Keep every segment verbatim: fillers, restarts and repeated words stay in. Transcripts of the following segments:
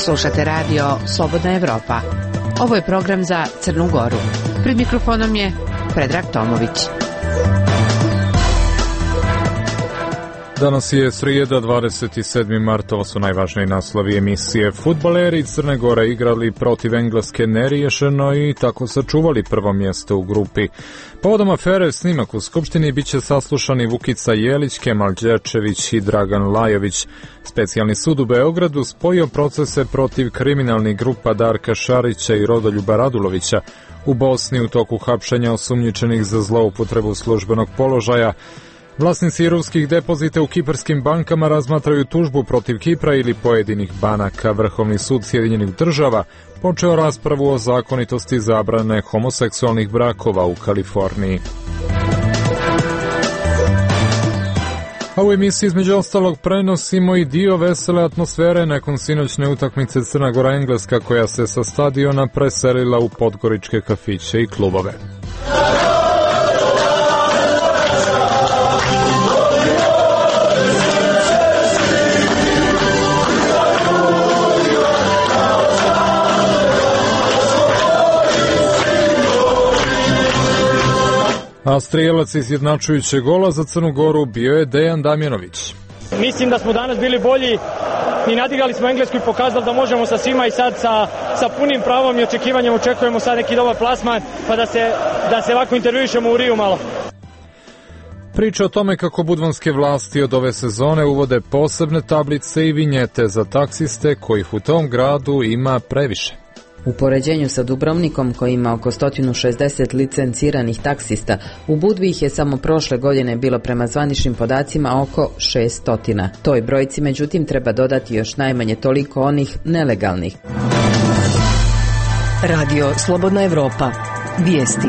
Slušate radio Slobodna Evropa. Ovo je program za Crnu Goru. Pred mikrofonom je Predrag Tomović. Danas je srijeda, dvadeset sedmi mart, ovo su najvažniji naslovi emisije. Fudbaleri Crne Gore igrali protiv Engleske neriješeno i tako sačuvali prvo mjesto u grupi. Povodom afere snimak u Skupštini bit će saslušani Vukica Jelić, Kemal Đerčević i Dragan Lajović. Specijalni sud u Beogradu spojio procese protiv kriminalnih grupa Darka Šarića i Rodoljuba Radulovića. U Bosni u toku hapšenja osumnjičenih za zloupotrebu službenog položaja. Vlasnici ruskih depozita u kiparskim bankama razmatraju tužbu protiv Kipra ili pojedinih banaka. Vrhovni sud Sjedinjenih država počeo raspravu o zakonitosti zabrane homoseksualnih brakova u Kaliforniji. A u emisiji između ostalog prenosimo i dio vesele atmosfere nakon sinoćne utakmice Crna Gora-Engleska koja se sa stadiona preselila u podgoričke kafiće i klubove. A strijelac izjednačujućeg gola za Crnu Goru bio je Dejan Damjanović. Mislim da smo danas bili bolji i nadigrali smo Englesku i pokazali da možemo sa svima i sad sa, sa punim pravom i očekivanjem očekujemo sad neki dobar plasman pa da se, da se ovako intervjuišemo u Riju malo. Priča o tome kako budvanske vlasti od ove sezone uvode posebne tablice i vinjete za taksiste kojih u tom gradu ima previše. U poređenju sa Dubrovnikom, koji ima oko sto šezdeset licenciranih taksista, u Budvi ih je samo prošle godine bilo prema zvaničnim podacima oko šesto. Toj brojci, međutim, treba dodati još najmanje toliko onih nelegalnih. Radio Slobodna Evropa. Vijesti.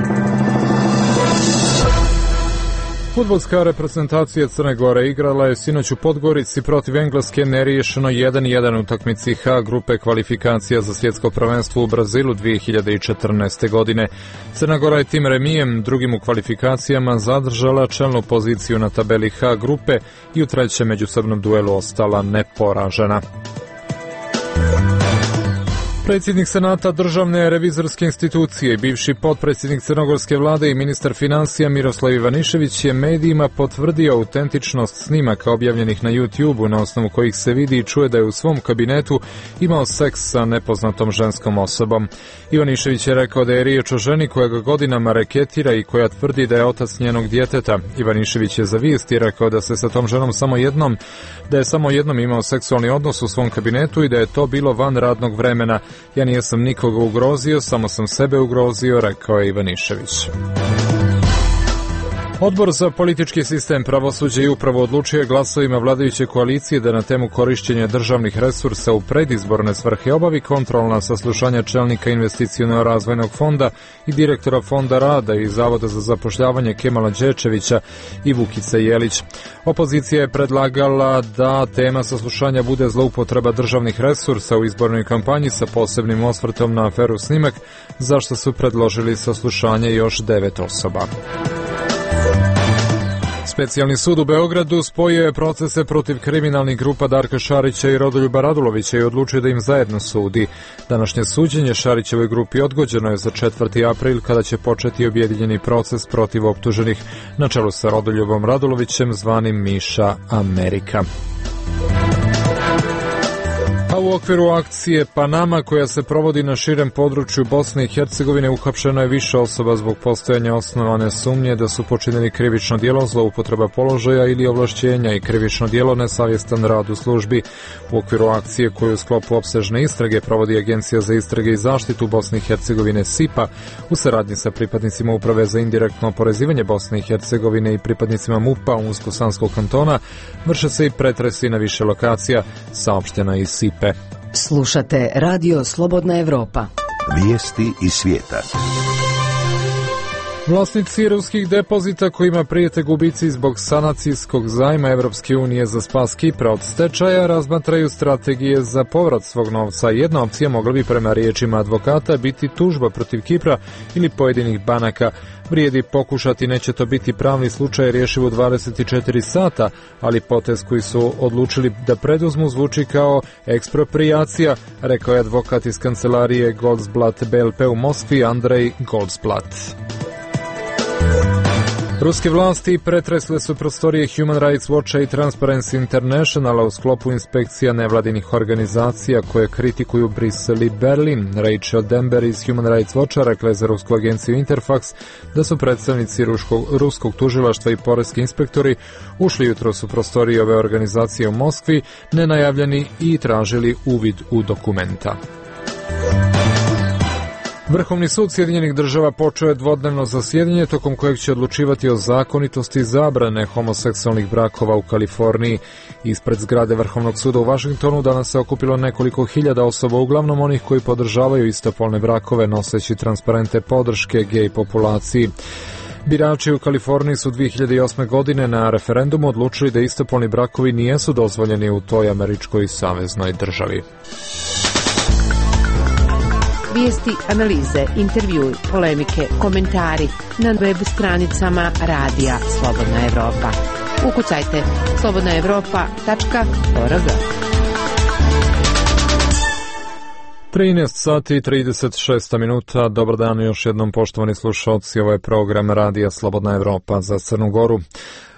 Fudbalska reprezentacija Crne Gore igrala je sinoć u Podgorici protiv Engleske neriješeno jedan jedan utakmici H grupe kvalifikacija za svjetsko prvenstvo u Brazilu dvije hiljade četrnaeste. godine. Crna Gora je tim remijem, drugim u kvalifikacijama, zadržala čelnu poziciju na tabeli H grupe i u trećem međusobnom duelu ostala neporažena. Predsjednik Senata Državne revizorske institucije, bivši potpredsjednik crnogorske vlade i ministar financija Miroslav Ivanišević je medijima potvrdio autentičnost snimaka objavljenih na YouTube-u na osnovu kojih se vidi i čuje da je u svom kabinetu imao seks sa nepoznatom ženskom osobom. Ivanišević je rekao da je riječ o ženi koja ga godinama reketira i koja tvrdi da je otac njenog djeteta. Ivanišević je za Vijesti rekao da se sa tom ženom samo jednom, da je samo jednom imao seksualni odnos u svom kabinetu i da je to bilo van radnog vremena. Ja nisam nikoga ugrozio, samo sam sebe ugrozio, rekao je Ivanišević. Odbor za politički sistem, pravosuđe i upravo odlučio glasovima vladajuće koalicije da na temu korišćenja državnih resursa u predizborne svrhe obavi kontrolna saslušanja čelnika investiciono-razvojnog fonda i direktora fonda rada i Zavoda za zapošljavanje Kemala Đerčevića i Vukice Jelić. Opozicija je predlagala da tema saslušanja bude zloupotreba državnih resursa u izbornoj kampanji sa posebnim osvrtom na aferu Snimak, zašto su predložili saslušanje još devet osoba. Specijalni sud u Beogradu spojio je procese protiv kriminalnih grupa Darka Šarića i Rodoljuba Radulovića i odlučio da im zajedno sudi. Današnje suđenje Šarićevoj grupi odgođeno je za četvrti april kada će početi objedinjeni proces protiv optuženih na čelu sa Rodoljubom Radulovićem zvanim Miša Amerika. A u okviru akcije Panama koja se provodi na širem području Bosne i Hercegovine uhapšeno je više osoba zbog postojanja osnovane sumnje da su počinili krivično djelo zloupotreba položaja ili ovlašćenja i krivično djelo nesavjestan rad u službi. U okviru akcije koju u sklopu opsežne istrage provodi Agencija za istrage i zaštitu Bosne i Hercegovine S I P A u saradnji sa pripadnicima Uprave za indirektno oporezivanje Bosne i Hercegovine i pripadnicima M U P-a Unsko-Sanskog kantona vrše se i pretresi na više lokacija, saopštena iz S I P E. Slušate Radio Slobodna Evropa. Vijesti iz svijeta. Vlasnici ruskih depozita kojima prijete gubici zbog sanacijskog zajma Evropske unije za spas Kipra od stečaja razmatraju strategije za povrat svog novca. Jedna opcija mogla bi prema riječima advokata biti tužba protiv Kipra ili pojedinih banaka. Vrijedi pokušati, neće to biti pravni slučaj rješiv u dvadeset četiri sata, ali potez koji su odlučili da preduzmu zvuči kao eksproprijacija, rekao je advokat iz kancelarije Goldblatt B L P u Moskvi Andrej Goldblatt. Ruske vlasti pretresle su prostorije Human Rights Watcha i Transparency Internationala u sklopu inspekcija nevladinih organizacija koje kritikuju Brisel i Berlin. Rachel Denber iz Human Rights Watcha rekla je za rusku agenciju Interfax da su predstavnici ruskog, ruskog tužilaštva i poreski inspektori ušli jutros u prostorije ove organizacije u Moskvi nenajavljeni i tražili uvid u dokumenta. Vrhovni sud Sjedinjenih država počeo je dvodnevno zasjedanje tokom kojeg će odlučivati o zakonitosti zabrane homoseksualnih brakova u Kaliforniji. Ispred zgrade Vrhovnog suda u Vašingtonu danas se okupilo nekoliko hiljada osoba, uglavnom onih koji podržavaju istopolne brakove noseći transparente podrške gej populaciji. Birači u Kaliforniji su dvije hiljade osme. godine na referendumu odlučili da istopolni brakovi nijesu dozvoljeni u toj američkoj saveznoj državi. Vijesti, analize, intervjui, polemike, komentari na web stranicama Radija Slobodna Evropa. Ukucajte slobodna evropa tačka org. trinaest sati i trideset šest minuta. Dobar dan još jednom, poštovani slušalci. Ovo je program Radija Slobodna Evropa za Crnu Goru.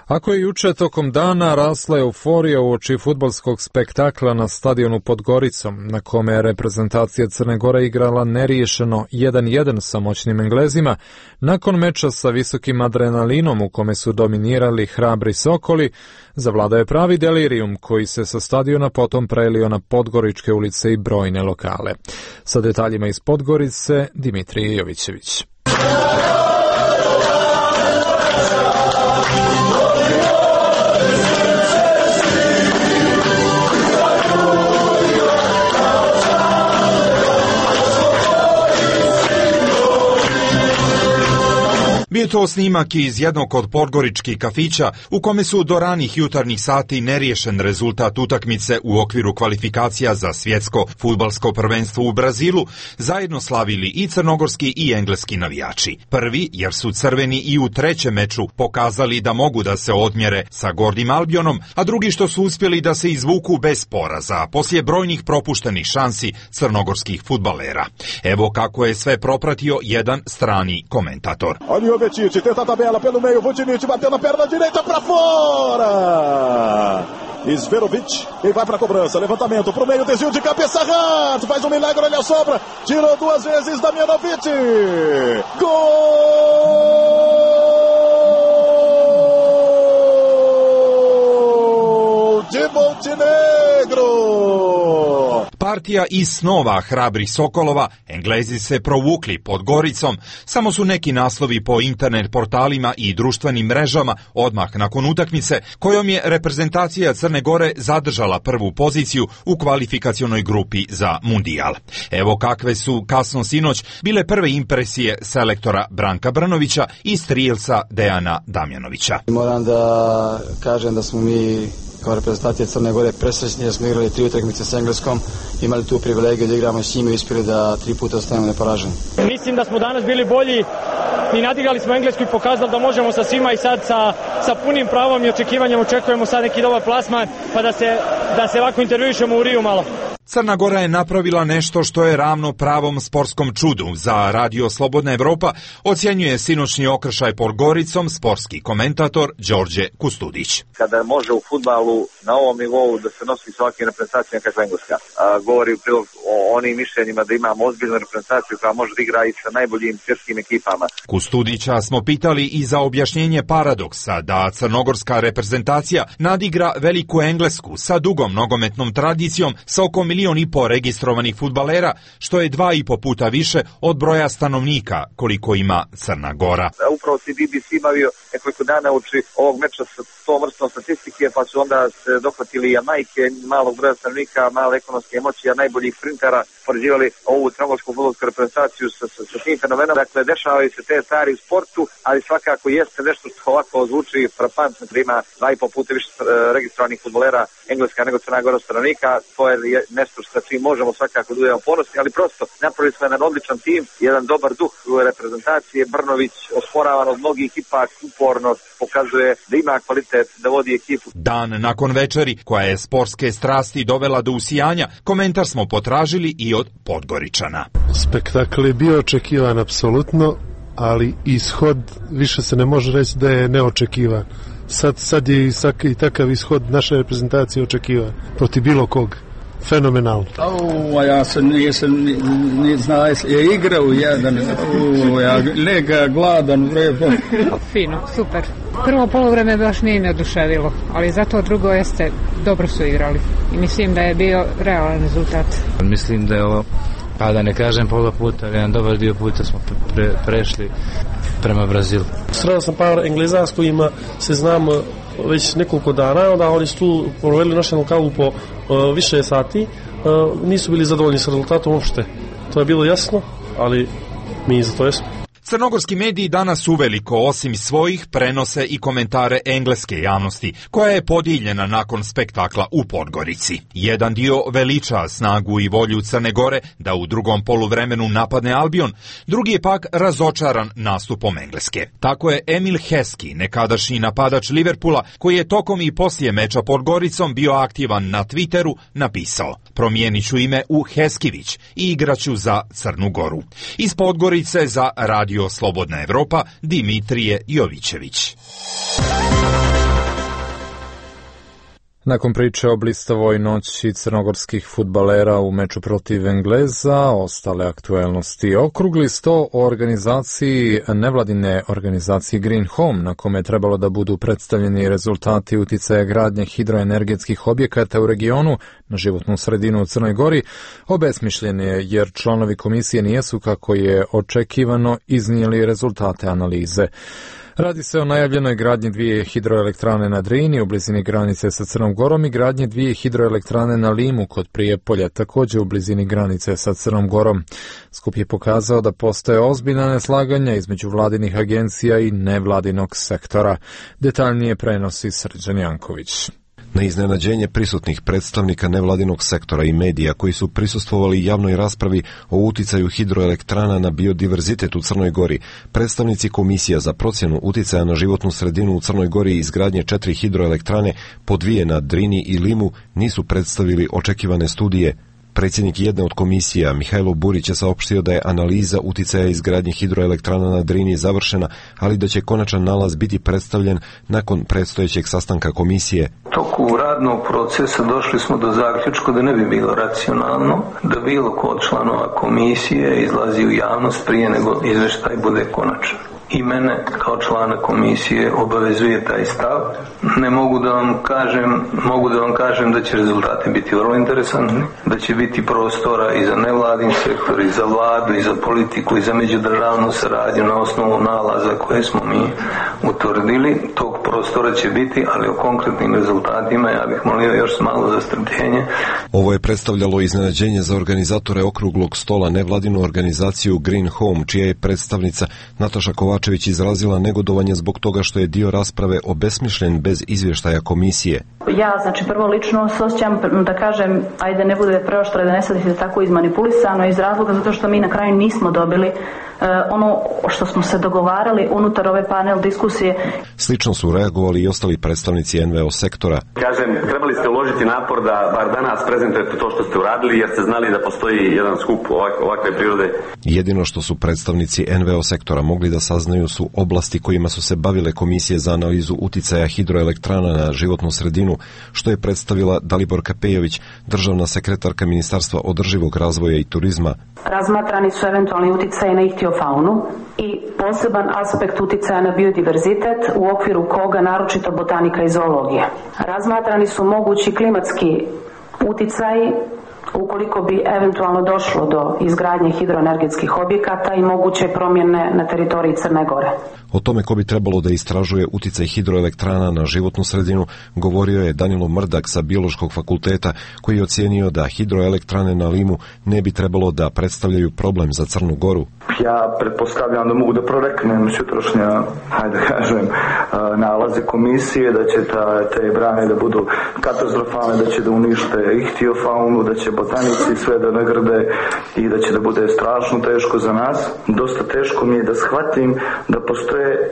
Ako je juče tokom dana rasla euforija uoči fudbalskog spektakla na stadionu pod Goricom, na kome je reprezentacija Crne Gore igrala neriješeno jedan jedan sa moćnim Englezima, nakon meča sa visokim adrenalinom u kome su dominirali hrabri Sokoli, zavladao je pravi delirijum koji se sa stadiona potom prelio na Podgoričke ulice i brojne lokale. Sa detaljima iz Podgorice, Dimitrij Jovićević. Bio to snimak iz jednog od podgoričkih kafića u kome su do ranih jutarnjih sati neriješen rezultat utakmice u okviru kvalifikacija za svjetsko fudbalsko prvenstvo u Brazilu zajedno slavili i crnogorski i engleski navijači. Prvi jer su crveni i u trećem meču pokazali da mogu da se odmjere sa Gordim Albionom, a drugi što su uspjeli da se izvuku bez poraza poslije brojnih propuštenih šansi crnogorskih fudbalera. Evo kako je sve propratio jedan strani komentator. Tite, tenta a tabela pelo meio, Vucinic bateu na perna direita para fora. Esverovic, ele vai para a cobrança, levantamento pro meio, desvio de cabeça, Hart, faz um milagre, ele assopra, tirou duas vezes Damjanovic. Gol de Montenegro. Partija iz snova hrabrih Sokolova, Englezi se provukli pod Goricom, samo su neki naslovi po internet portalima i društvenim mrežama odmah nakon utakmice, kojom je reprezentacija Crne Gore zadržala prvu poziciju u kvalifikacionoj grupi za Mundijal. Evo kakve su kasno sinoć bile prve impresije selektora Branka Brnovića i strijelca Dejana Damjanovića. Moram da kažem da smo mi kao reprezentacija Crne Gore presrećni da smo igrali tri utakmice s Engleskom, imali tu privilegiju da igramo s njima i uspjeli da tri puta ostanemo neporaženi. Mislim da smo danas bili bolji i nadigrali smo Englesku i pokazali da možemo sa svima i sad sa, sa punim pravom i očekivanjem očekujemo sad neki dobar plasman pa da se, da se ovako intervjuišemo u Riju malo. Crna Gora je napravila nešto što je ravno pravom sportskom čudu. Za Radio Slobodna Evropa ocjenjuje sinoćni okršaj pod Goricom sportski komentator Đorđe Kustudić. Kada može u fudbalu na ovom nivou da se nosi s ovakvim reprezentacijama kakva Engleska, a, govori u prilog o onim mišljenjima da imamo ozbiljnu reprezentaciju koja može da igra i sa najboljim svjetskim ekipama. Kustudića smo pitali i za objašnjenje paradoksa da crnogorska reprezentacija nadigra veliku Englesku sa dugom nogometnom tradicijom sa oko milijon milion i po registrovanih fudbalera, što je dva i po puta više od broja stanovnika koliko ima Crna Gora. Upravo si B B C bavio nekoliko dana uči ovog meča sa tom vrstom statistike, pa su onda se dohvatili Jamajke, malog broja stanovnika, male ekonomske emocije, najboljih sprintera, poređivali ovu crnogorsku fudbalsku reprezentaciju sa, sa, sa tim fenomenom. Dakle, dešavaju se te stvari u sportu, ali svakako jeste nešto što ovako zvuči frapantno, da ima dva i po puta više registrovanih fudbalera Engleska nego Crna Gora stanovnika. To je nešto što čim možemo svakako da budemo ponosni, ali prosto napravili smo jedan odličan tim, jedan dobar duh reprezentacije. Brnović, osporavan od mnogih, ipak uporno pokazuje da ima kvalitet da vodi ekipu. Dan nakon večeri, koja je sportske strasti dovela do usijanja, komentar smo potražili i od Podgoričana. Spektakl je bio očekivan apsolutno, ali ishod više se ne može reći da je neočekivan. Sad, sad je i takav ishod naše reprezentacije očekivan protiv bilo kog. Fenomenalno. O, ja sam nisam ni, ni znao, je igrao jedan, o, ja lega gladan vrebo. Fino, super. Prvo poluvreme baš nije me oduševilo, ali zato drugo jeste, dobro su igrali i mislim da je bio realan rezultat. Mislim da je ovo, pa da ne kažem pola puta, ali jedan dobar dio puta smo pre, prešli prema Brazilu. Sreo sam par Engleza s kojima se znam već nekoliko dana, onda oni su tu proveli našu lokalu po uh, više sati, uh, nisu bili zadovoljni sa rezultatom uopšte. To je bilo jasno, ali mi za to jesmo. Crnogorski mediji danas uveliko, osim svojih, prenose i komentare engleske javnosti, koja je podijeljena nakon spektakla u Podgorici. Jedan dio veliča snagu i volju Crne Gore da u drugom poluvremenu napadne Albion, drugi je pak razočaran nastupom Engleske. Tako je Emil Heskey, nekadašnji napadač Liverpoola, koji je tokom i poslije meča Podgoricom bio aktivan na Twitteru, napisao: promijenit ću ime u Heskivić i igraću za Crnu Goru. Iz Podgorice za Radio Slobodna Evropa, Dimitrije Jovićević. Nakon priče o blistavoj noći crnogorskih fudbalera u meču protiv Engleza, ostale aktuelnosti. Okrugli sto o organizaciji nevladine organizacije Green Home, na kome je trebalo da budu predstavljeni rezultati uticaja gradnje hidroenergetskih objekata u regionu na životnu sredinu u Crnoj Gori, obesmišljen je jer članovi komisije nijesu, kako je očekivano, iznijeli rezultate analize. Radi se o najavljenoj gradnji dvije hidroelektrane na Drini u blizini granice sa Crnom Gorom i gradnji dvije hidroelektrane na Limu kod Prijepolja, također u blizini granice sa Crnom Gorom. Skup je pokazao da postoje ozbiljna neslaganja između vladinih agencija i nevladinog sektora. Detaljnije prenosi Srđan Janković. Na iznenađenje prisutnih predstavnika nevladinog sektora i medija koji su prisustvovali javnoj raspravi o uticaju hidroelektrana na biodiverzitet u Crnoj Gori, predstavnici Komisija za procjenu uticaja na životnu sredinu u Crnoj Gori i izgradnje četiri hidroelektrane, po dvije na Drini i Limu, nisu predstavili očekivane studije. Predsjednik jedne od komisija, Mihajlo Burić, je saopštio da je analiza uticaja izgradnje hidroelektrana na Drini završena, ali da će konačan nalaz biti predstavljen nakon predstojećeg sastanka komisije. Toku radnog procesa došli smo do zaključka da ne bi bilo racionalno da bilo ko od članova komisije izlazi u javnost prije nego izveštaj bude konačan. I mene kao člana komisije obavezuje taj stav. Ne mogu da vam kažem, mogu da vam kažem da će rezultati biti vrlo interesantni, da će biti prostora i za nevladin sektor, i za vladu, i za politiku, i za međudržavnu saradnju na osnovu nalaza koje smo mi utvrdili. Tog prostora će biti, ali o konkretnim rezultatima ja bih molio još malo za strpljenje. Ovo je predstavljalo iznenađenje za organizatore okruglog stola, nevladinu organizaciju Green Home, čija je predstavnica Nataša Kovačević izrazila negodovanje zbog toga što je dio rasprave obesmišljen bez izvještaja komisije. Ja, znači, prvo lično se osjećam da kažem, ajde ne bude preoštro, da ne sadite tako izmanipulisano, iz razloga zato što mi na kraju nismo dobili Uh, ono što smo se dogovarali unutar ove panel diskusije. Slično su reagovali i ostali predstavnici en ve o sektora. Kažem, trebali ste uložiti napor da bar danas prezentujete to što ste uradili, jer ste znali da postoji jedan skup ovak, ovakve prirode. Jedino što su predstavnici en ve o sektora mogli da saznaju su oblasti kojima su se bavile komisije za analizu uticaja hidroelektrana na životnu sredinu, što je predstavila Dalibor Kapejović, državna sekretarka Ministarstva održivog razvoja i turizma. Razmatrani su eventualni uticaji na ihtiofaunu i poseban aspekt uticaja na biodiverzitet u okviru koga naročito botanika i zoologija. Razmatrani su mogući klimatski uticaji ukoliko bi eventualno došlo do izgradnje hidroenergetskih objekata i moguće promjene na teritoriji Crne Gore. O tome ko bi trebalo da istražuje uticaj hidroelektrana na životnu sredinu govorio je Danilo Mrdak sa Biološkog fakulteta, koji je ocijenio da hidroelektrane na Limu ne bi trebalo da predstavljaju problem za Crnu Goru. Ja pretpostavljam da mogu da proreknem sutrašnja, hajde da kažem, nalaze komisije, da će ta, te brane da budu katastrofalne, da će da unište ihtiofaunu, da će botanici sve da nagrde i da će da bude strašno teško za nas. Dosta teško mi je da shvatim da postoje e,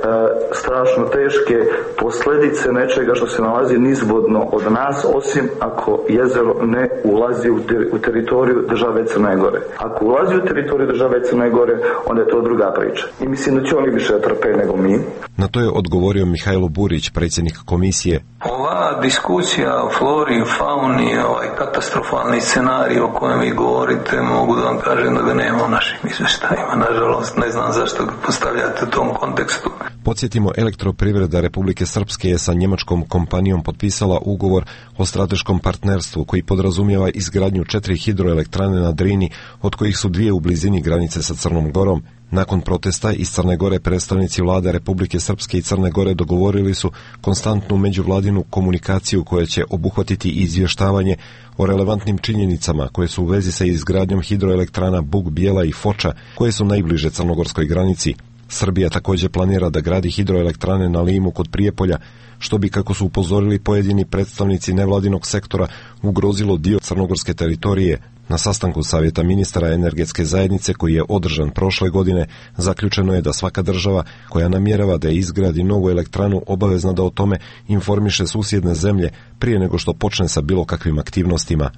strašno teške posljedice nečega što se nalazi nizvodno od nas, osim ako jezero ne ulazi u, ter, u teritoriju države Crne Gore. Ako ulazi u teritoriju države Crne Gore, onda je to druga priča. I mislim da će oni više trpe nego mi. Na to je odgovorio Mihajlo Burić, predsjednik komisije. Ova diskusija o flori, fauni, ovaj katastrofalni scenarij o kojem vi govorite, mogu da vam kažem da ga nema u našim izveštajima. Nažalost, ne znam zašto ga postavljate u tom kontekstu. Podsjetimo, Elektroprivreda Republike Srpske je sa njemačkom kompanijom potpisala ugovor o strateškom partnerstvu koji podrazumijeva izgradnju četiri hidroelektrane na Drini, od kojih su dvije u blizini granice sa Crnom Gorom. Nakon protesta iz Crne Gore predstavnici vlade Republike Srpske i Crne Gore dogovorili su konstantnu međuvladinu komunikaciju koja će obuhvatiti izvještavanje o relevantnim činjenicama koje su u vezi sa izgradnjom hidroelektrana Bug, Bijela i Foča, koje su najbliže crnogorskoj granici. Srbija također planira da gradi hidroelektrane na Limu kod Prijepolja, što bi, kako su upozorili pojedini predstavnici nevladinog sektora, ugrozilo dio crnogorske teritorije. Na sastanku Savjeta ministara energetske zajednice koji je održan prošle godine, zaključeno je da svaka država koja namjerava da izgradi novu elektranu obavezna da o tome informiše susjedne zemlje prije nego što počne sa bilo kakvim aktivnostima.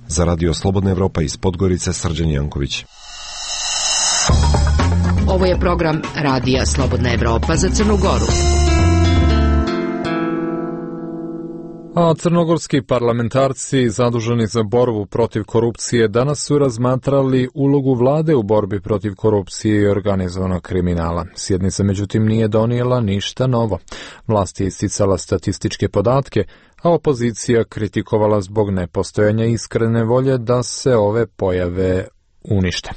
Za Radio Slobodna Evropa iz Podgorice, Srđan Janković. Ovo je program Radija Slobodna Evropa za Crnu Goru. A crnogorski parlamentarci zaduženi za borbu protiv korupcije danas su razmatrali ulogu vlade u borbi protiv korupcije i organizovanog kriminala. Sjednica međutim nije donijela ništa novo. Vlast je isticala statističke podatke, a opozicija kritikovala zbog nepostojanja iskrene volje da se ove pojave unište.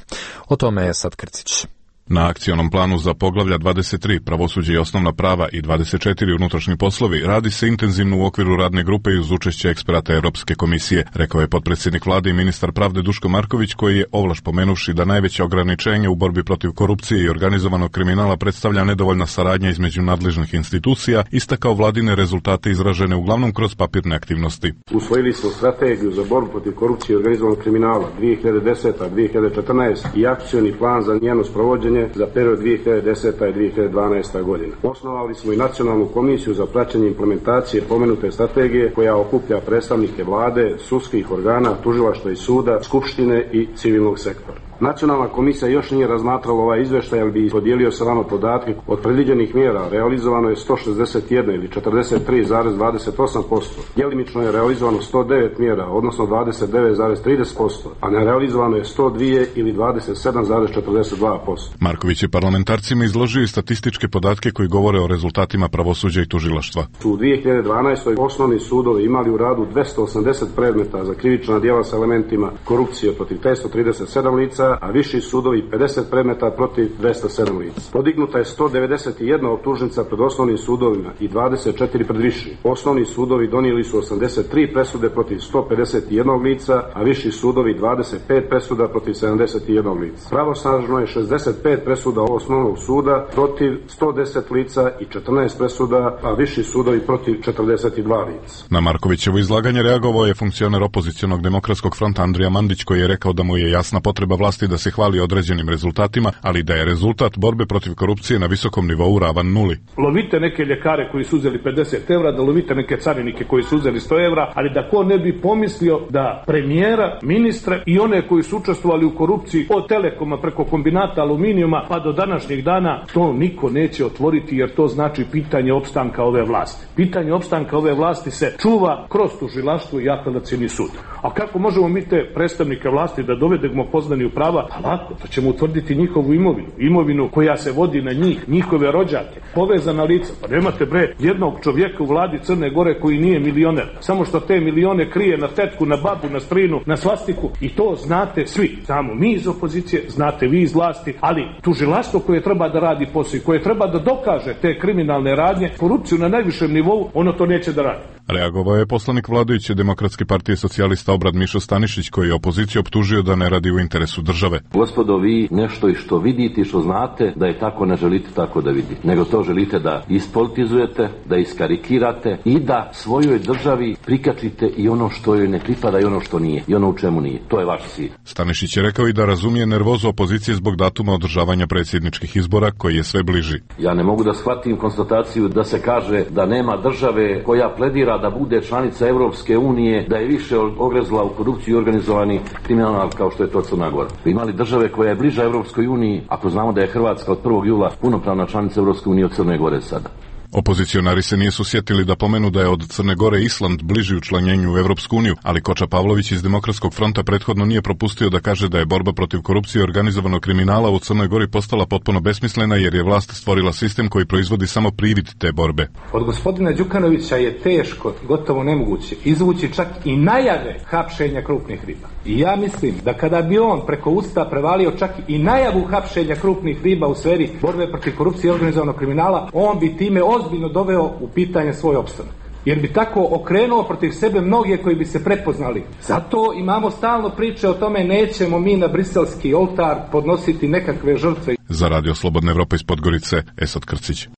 O tome je sad Krcić. Na akcionom planu za poglavlja dvadeset tri pravosuđe i osnovna prava i dvadeset četiri unutrašnji poslovi radi se intenzivno u okviru radne grupe i uz učešće eksperata Europske komisije, rekao je potpredsjednik vlade i ministar pravde Duško Marković, koji je ovlaš pomenuvši da najveće ograničenje u borbi protiv korupcije i organizovanog kriminala predstavlja nedovoljna saradnja između nadležnih institucija, istakao vladine rezultate izražene uglavnom kroz papirne aktivnosti. Usvojili smo strategiju za borbu protiv korupcije i organizovanog kriminala dvije hiljade deseta do dvije hiljade četrnaeste. i akcioni plan za njeno sprovođenje za period dvije hiljade deseta i dvije hiljade dvanaesta. godina. Osnovali smo i nacionalnu komisiju za praćenje implementacije pomenute strategije koja okuplja predstavnike vlade, sudskih organa, tužilaštva i suda, skupštine i civilnog sektora. Nacionalna komisija još nije razmatrala ovaj izveštaj, ali bi podijelio sa vama podatke. Od predviđenih mjera realizovano je sto šezdeset jedan ili četrdeset tri zarez dvadeset osam posto. Djelimično je realizovano sto devet mjera, odnosno dvadeset devet zarez trideset posto, a nerealizovano je sto dva ili dvadeset sedam zarez četrdeset dva posto. Marković je parlamentarcima izložio i statističke podatke koji govore o rezultatima pravosuđa i tužilaštva. U dvije hiljade dvanaestoj. osnovni sudovi imali u radu dvesta osamdeset predmeta za krivična djela sa elementima korupcije protiv petsto trideset sedam lica, a viši sudovi pedeset predmeta protiv dvesta sedam lica. Podignuta je sto devedeset jedna optužnica pred osnovnim sudovima i dvadeset četiri pred višim. Osnovni sudovi donijeli su osamdeset tri presude protiv sto pedeset jedan lica, a viši sudovi dvadeset pet presuda protiv sedamdeset jedan lica. Pravosnažno je šezdeset pet presuda osnovnog suda protiv sto deset lica i četrnaest presuda, a viši sudovi protiv četrdeset dva lica. Na Markovićevo izlaganje reagovao je funkcioner opozicionog demokratskog fronta Andrija Mandić, koji je rekao da mu je jasna potreba vlasti da se hvali određenim rezultatima, ali da je rezultat borbe protiv korupcije na visokom nivou ravan nuli. Lovite neke ljekare koji su uzeli pedeset evra, da lovite neke carinike koji su uzeli sto evra, ali da ko ne bi pomislio da premijera, ministre i one koji su učestvovali u korupciji od Telekoma preko kombinata aluminijuma pa do današnjeg dana, to niko neće otvoriti, jer to znači pitanje opstanka ove vlasti. Pitanje opstanka ove vlasti se čuva kroz tužilaštvo i apelacioni sud. A kako možemo mi te predstavnike vlasti da dovedemo poznani u prava, pa lako, to ćemo utvrditi njihovu imovinu, imovinu koja se vodi na njih, njihove rođake, povezana lica. Pa nemate bre jednog čovjeka u vladi Crne Gore koji nije milioner, samo što te milione krije na tetku, na babu, na strinu, na svastiku, i to znate svi. Znamo mi iz opozicije, znate vi iz vlasti, ali tužilaštvo koje treba da radi posao i koje treba da dokaže te kriminalne radnje, korupciju na najvišem nivou, ono to neće da radi. Reagovao je poslanik vladajuće Demokratske partije socijalista Obrad Mišo Stanišić, koji je opoziciju optužio da ne radi u interesu države. Gospodo, vi nešto i što vidite i što znate da je tako, ne želite tako da vidite, nego to želite da ispolitizujete, da iskarikirate i da svojoj državi prikačite i ono što joj ne pripada i ono što nije i ono u čemu nije. To je vaš cilj. Stanišić je rekao i da razumije nervozu opozicije zbog datuma održavanja predsjedničkih izbora koji je sve bliži. Ja ne mogu da shvatim konstataciju da se kaže da nema države koja pledira da bude članica Evropske unije, da je više ogrezla u korupciju i organizovani kriminal kao što je to Crna Gora. Imali države koja je bliža Evropskoj uniji, ako znamo da je Hrvatska od prvog jula punopravna članica Evropske unije od Crne Gore sada. Opozicionari se nisu sjetili da pomenu da je od Crne Gore Island bliži učlanjenju u Evropsku uniju, ali Koča Pavlović iz Demokratskog fronta prethodno nije propustio da kaže da je borba protiv korupcije i organizovanog kriminala u Crnoj Gori postala potpuno besmislena jer je vlast stvorila sistem koji proizvodi samo privid te borbe. Od gospodina Đukanovića je teško, gotovo nemoguće, izvući čak i najave hapšenja krupnih riba. I ja mislim da kada bi on preko usta prevalio čak i najavu hapšenja krupnih riba u sferi borbe protiv korupcije i organizovanog kriminala, on bi time ozbiljno doveo u pitanje svoj opstanak. Jer bi tako okrenuo protiv sebe mnoge koji bi se prepoznali. Zato imamo stalno priče o tome nećemo mi na briselski oltar podnositi nekakve žrtve. Za Radio Slobodna Evropa iz Podgorice, Esad Krcić.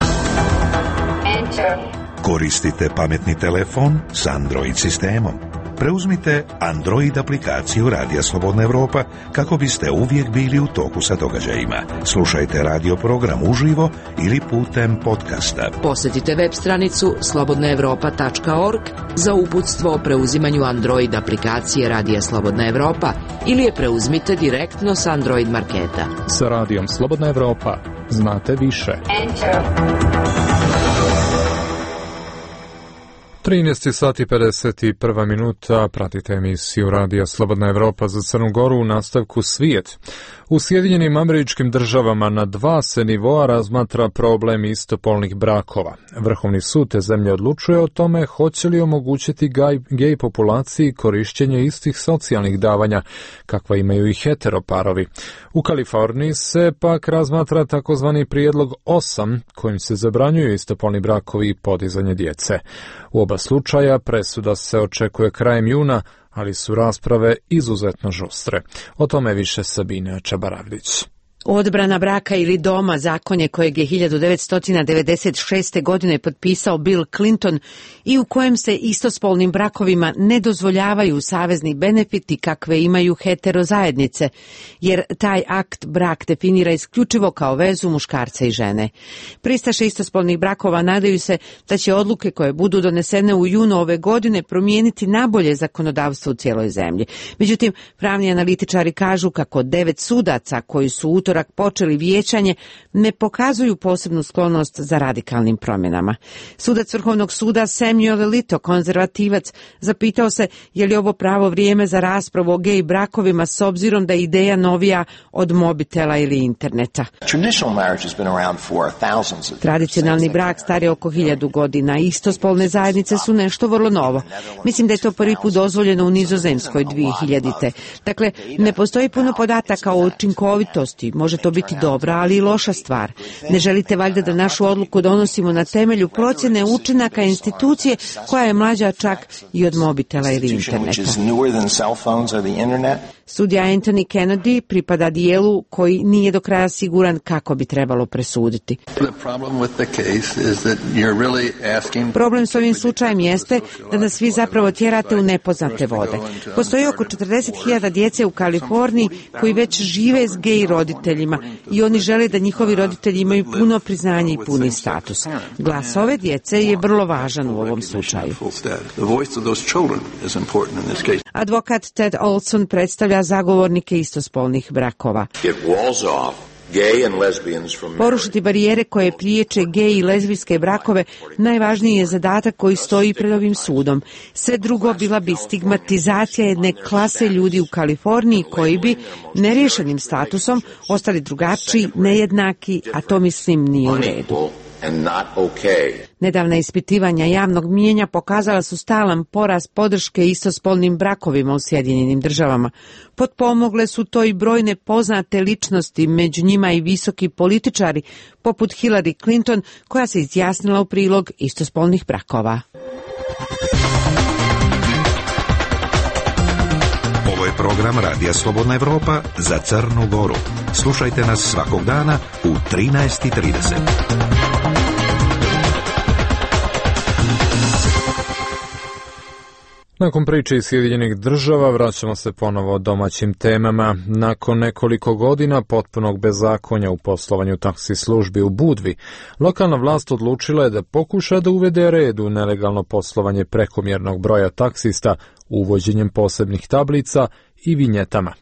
Koristite pametni telefon s Android sistemom. Preuzmite Android aplikaciju Radija Slobodna Evropa kako biste uvijek bili u toku sa događajima. Slušajte radio program uživo ili putem podcasta. Posjetite web stranicu slobodna evropa tačka org za uputstvo o preuzimanju Android aplikacije Radija Slobodna Evropa ili je preuzmite direktno s Android marketa. Sa Radijom Slobodna Evropa znate više. Enter. trinaest sati i pedeset jedna minuta, pratite emisiju Radija Slobodna Evropa za Crnu Goru u nastavku Svijet. U Sjedinjenim Američkim Državama na dva se nivoa razmatra problem istopolnih brakova. Vrhovni sud te zemlje odlučuje o tome hoće li omogućiti gaj, gej populaciji korišćenje istih socijalnih davanja kakva imaju i heteroparovi. U Kaliforniji se pak razmatra takozvani prijedlog osam kojim se zabranjuju istopolni brakovi i podizanje djece. U oba slučaja presuda se očekuje krajem juna, ali su rasprave izuzetno žustre. O tome više Sabina Čabaravlić. Odbrana braka ili doma, zakonje kojeg je hiljadu devetsto devedeset šeste. godine potpisao Bill Clinton i u kojem se istospolnim brakovima ne dozvoljavaju savezni benefiti kakve imaju heterozajednice, jer taj akt brak definira isključivo kao vezu muškarca i žene. Pristaše istospolnih brakova nadaju se da će odluke koje budu donesene u junu ove godine promijeniti nabolje zakonodavstvo u cijeloj zemlji. Međutim, pravni analitičari kažu kako devet sudaca koji su utorak počeli vijećanje ne pokazuju posebnu sklonost za radikalnim promjenama. Sudac Vrhovnog suda Samuel Alito, konzervativac, zapitao se je li ovo pravo vrijeme za raspravu o gej brakovima s obzirom da je ideja novija od mobitela ili interneta. Tradicionalni brak star je oko hiljadu godina. Istospolne zajednice su nešto vrlo novo. Mislim da je to prvi put dozvoljeno u Nizozemskoj dvije hiljadite. Dakle, ne postoji puno podataka o učinkovitosti. Može to biti dobra, ali i loša stvar. Ne želite valjda da našu odluku donosimo na temelju procjene učinaka institucije koja je mlađa čak i od mobitela ili interneta. Sudija Anthony Kennedy pripada dijelu koji nije do kraja siguran kako bi trebalo presuditi. Problem s ovim slučajem jeste da nas svi zapravo tjerate u nepoznate vode. Postoji oko četrdeset hiljada djece u Kaliforniji koji već žive s gej roditeljima i oni žele da njihovi roditelji imaju puno priznanje i puni status. Glas ove djece je vrlo važan u ovom slučaju. Advokat Ted Olson predstavlja zagovornike istospolnih brakova. Porušiti barijere koje priječe gej i lezbijske brakove najvažniji je zadatak koji stoji pred ovim sudom. Sve drugo bila bi stigmatizacija jedne klase ljudi u Kaliforniji koji bi neriješenim statusom ostali drugačiji, nejednaki, a to mislim nije u redu. Nedavna ispitivanja javnog mijenja pokazala su stalan porast podrške istospolnim brakovima u Sjedinjenim državama. Potpomogle su to i brojne poznate ličnosti, među njima i visoki političari, poput Hillary Clinton, koja se izjasnila u prilog istospolnih brakova. Ovo je program Radija Slobodna Evropa za Crnu Goru. Slušajte nas svakog dana u trinaest i trideset. Nakon priče iz Sjedinjenih država vraćamo se ponovo domaćim temama. Nakon nekoliko godina potpunog bezakonja u poslovanju taksi službi u Budvi, lokalna vlast odlučila je da pokuša da uvede red u nelegalno poslovanje prekomjernog broja taksista uvođenjem posebnih tablica i vinjetama.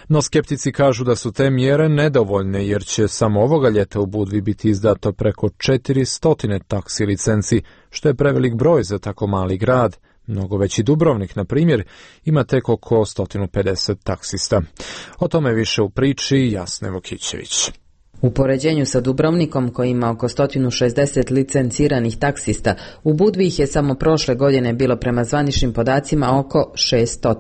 No skeptici kažu da su te mjere nedovoljne jer će samo ovoga ljeta u Budvi biti izdato preko četiristo taksi licenci, što je prevelik broj za tako mali grad. Mnogo veći Dubrovnik, na primjer, ima tek oko sto pedeset taksista. O tome više u priči Jasne Vokićević. U poređenju sa Dubrovnikom, koji ima oko sto šezdeset licenciranih taksista, u Budvi ih je samo prošle godine bilo prema zvaničnim podacima oko šesto.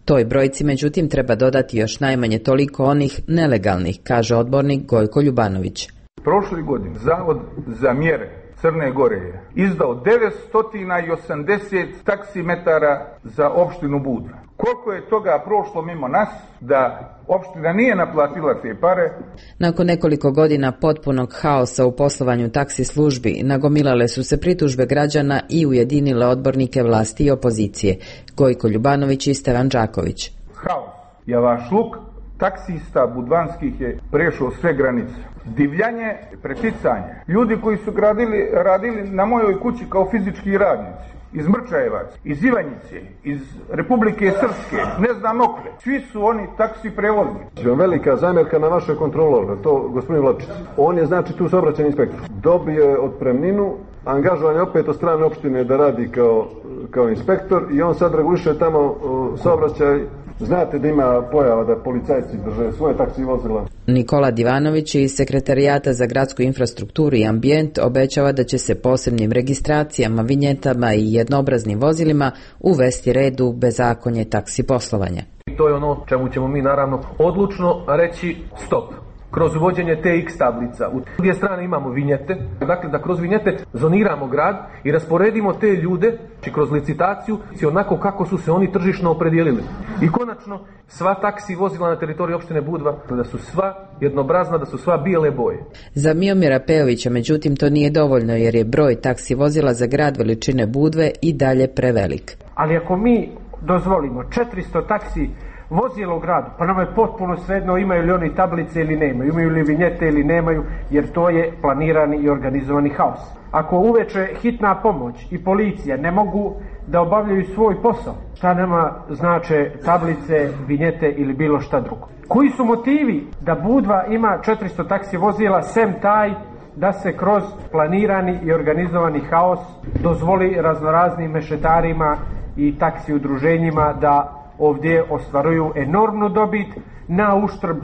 Toj brojci, međutim, treba dodati još najmanje toliko onih nelegalnih, kaže odbornik Gojko Ljubanović. Prošle godine Zavod za mjere Crne Gore je izdao devetsto osamdeset taksimetara za opštinu Budva. Koliko je toga prošlo mimo nas da opština nije naplatila te pare? Nakon nekoliko godina potpunog haosa u poslovanju taksi službi, nagomilale su se pritužbe građana i ujedinile odbornike vlasti i opozicije. Gojko Ljubanović i Stevan Đaković. Haos, javašluk taksista budvanskih je prešao sve granice. Divljanje, preticanje. Ljudi koji su gradili, radili na mojoj kući kao fizički radnici, iz Mrčajevac, iz Ivanjice, iz Republike Srpske, ne znam okle. Svi su oni taksi prevoznici. Velika zamjerka na vaše kontrolore, to gospodin Vlačić. On je znači tu saobraćajni inspektor. Dobio je otpremninu, angažovan je opet od strane opštine da radi kao, kao inspektor i on sad reguliše tamo saobraćaj. Znate da ima pojava da policajci drže svoje taksi vozila. Nikola Divanović iz Sekretarijata za gradsku infrastrukturu i ambijent obećava da će se posebnim registracijama, vinjetama i jednobraznim vozilima uvesti red u bezakonje taksi poslovanja. To je ono čemu ćemo mi naravno odlučno reći stop. Kroz uvođenje te X tablica. U druge strane imamo vinjete, dakle da kroz vinjete zoniramo grad i rasporedimo te ljude či kroz licitaciju onako kako su se oni tržišno opredijelili. I konačno, sva taksi vozila na teritoriji opštine Budva, da su sva jednobrazna, da su sva bijele boje. Za Miomira Pejovića, međutim, to nije dovoljno jer je broj taksi vozila za grad veličine Budve i dalje prevelik. Ali ako mi dozvolimo četiristo taksi vozilo u gradu, pa nam je potpuno svejedno imaju li oni tablice ili nemaju, imaju li vinjete ili nemaju, jer to je planirani i organizovani haos. Ako uveče hitna pomoć i policija ne mogu da obavljaju svoj posao, šta nama znače tablice, vinjete ili bilo šta drugo? Koji su motivi da Budva ima četiristo taksi vozila, sem taj da se kroz planirani i organizovani haos dozvoli raznoraznim mešetarima i taksi udruženjima da ovdje ostvaruju enormnu dobit na uštrb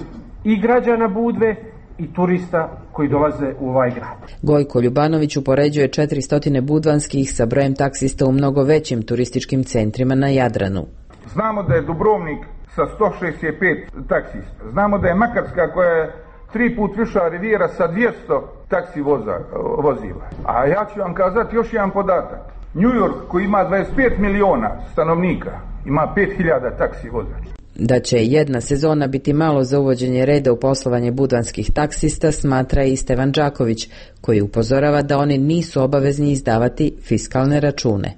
i građana Budve i turista koji dolaze u ovaj grad. Gojko Ljubanović upoređuje četiristo budvanskih sa brojem taksista u mnogo većim turističkim centrima na Jadranu. Znamo da je Dubrovnik sa sto šezdeset pet taksista. Znamo da je Makarska koja je tri put viša Rivijera sa dvjesto taksi voza, vozila. A ja ću vam kazati još jedan podatak. New York koji ima dvadeset pet miliona stanovnika ima pet hiljada taksi vozača. Da će jedna sezona biti malo za uvođenje reda u poslovanje budvanskih taksista smatra i Stevan Đaković, koji upozorava da oni nisu obavezni izdavati fiskalne račune.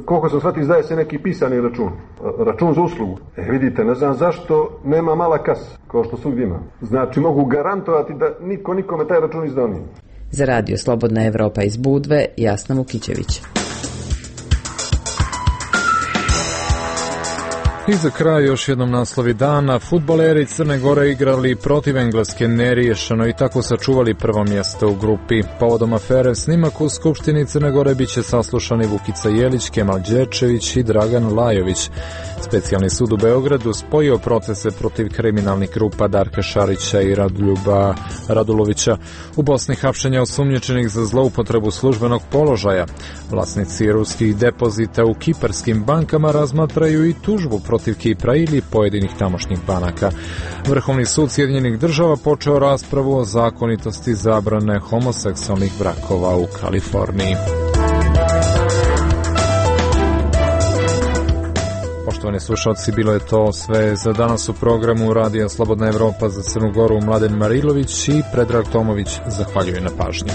Koliko sam shvatio, izdaje se neki pisani račun, račun za uslugu. E vidite, ne znam zašto nema mala kasa, kao što svugdje ima. Znači mogu garantovati da niko nikome taj račun izdao nije. Za Radio Slobodna Evropa iz Budve, Jasna Vukićević. I za kraj još jednom naslovi dana. Fudbaleri Crne Gore igrali protiv Engleske neriješeno i tako sačuvali prvo mjesto u grupi. Povodom afere snimak u Skupštini Crne Gore biće saslušani Vukica Jelić, Kemal Đerčević i Dragan Lajović. Specijalni sud u Beogradu spojio procese protiv kriminalnih grupa Darka Šarića i Raduljuba Radulovića. U Bosni hapšenja osumnjičenih za zloupotrebu službenog položaja. Vlasnici ruskih depozita u kiparskim bankama razmatraju i tužbu protiv Kipra ili pojedinih tamošnjih banaka. Vrhovni sud Sjedinjenih država počeo raspravu o zakonitosti zabrane homoseksualnih brakova u Kaliforniji. Poštovani slušalci, bilo je to sve za danas u programu Radija Slobodna Evropa za Crnu Goru. Mladen Marilović i Predrag Tomović zahvaljuju na pažnji.